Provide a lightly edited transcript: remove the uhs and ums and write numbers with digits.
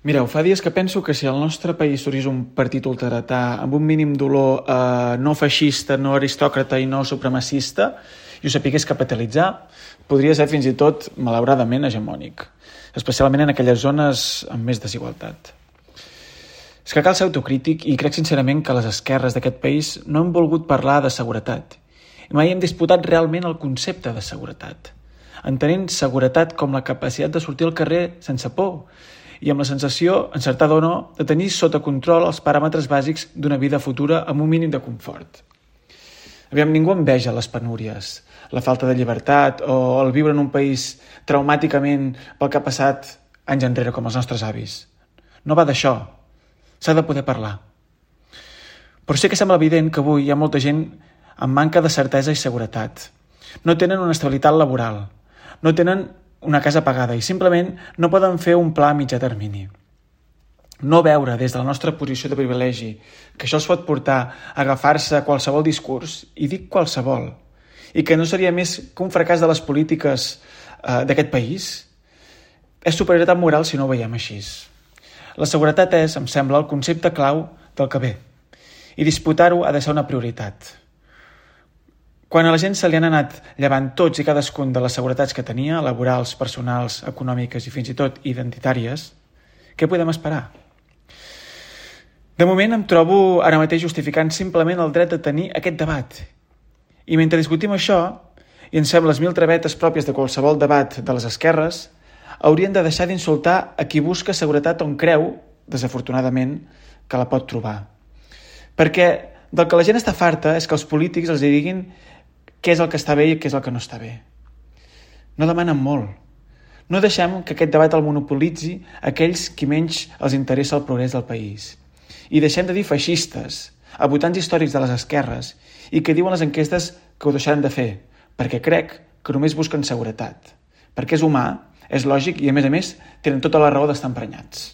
Mireu, fa dies que penso que si al nostre país sorgís un partit ultradretà amb un mínim dolor no feixista, no aristòcrata i no supremacista i ho sapigués capitalitzar, podria ser fins i tot, malauradament, hegemònic, especialment en aquelles zones amb més desigualtat. És que cal ser autocrític i crec sincerament que les esquerres d'aquest país no han volgut parlar de seguretat i mai hem disputat realment el concepte de seguretat, entenent seguretat com la capacitat de sortir al carrer sense por i amb la sensació, encertada o no, de tenir sota control els paràmetres bàsics d'una vida futura amb un mínim de confort. Aviam, ningú enveja les penúries, la falta de llibertat o el viure en un país traumàticament pel que ha passat anys enrere com els nostres avis. No va d'això, s'ha de poder parlar. Però sí que sembla evident que avui hi ha molta gent amb manca de certesa i seguretat. No tenen una estabilitat laboral, no tenen una casa pagada i simplement no poden fer un pla a mitjà termini. No veure des de la nostra posició de privilegi que això els pot portar a agafar-se a qualsevol discurs, i dic qualsevol, i que no seria més que un fracàs de les polítiques d'aquest país, és superioritat moral si no ho veiem així. La seguretat és, em sembla, el concepte clau del que ve, i disputar-ho ha de ser una prioritat. Quan a la gent se li han anat llevant tots i cadascun de les seguretats que tenia, laborals, personals, econòmiques i fins i tot identitàries, què podem esperar? De moment em trobo ara mateix justificant simplement el dret de tenir aquest debat. I mentre discutim això, i em sembla les mil travetes pròpies de qualsevol debat de les esquerres, haurien de deixar d'insultar a qui busca seguretat on creu, desafortunadament, que la pot trobar. Perquè del que la gent està farta és que els polítics els diguin què és el que està bé i què és el que no està bé. No demanen molt. No deixem que aquest debat el monopolitzi aquells qui menys els interessa el progrés del país. I deixem de dir feixistes a votants històrics de les esquerres i que diuen les enquestes que ho deixaran de fer, perquè crec que només busquen seguretat. Perquè és humà, és lògic i, a més, tenen tota la raó d'estar emprenyats.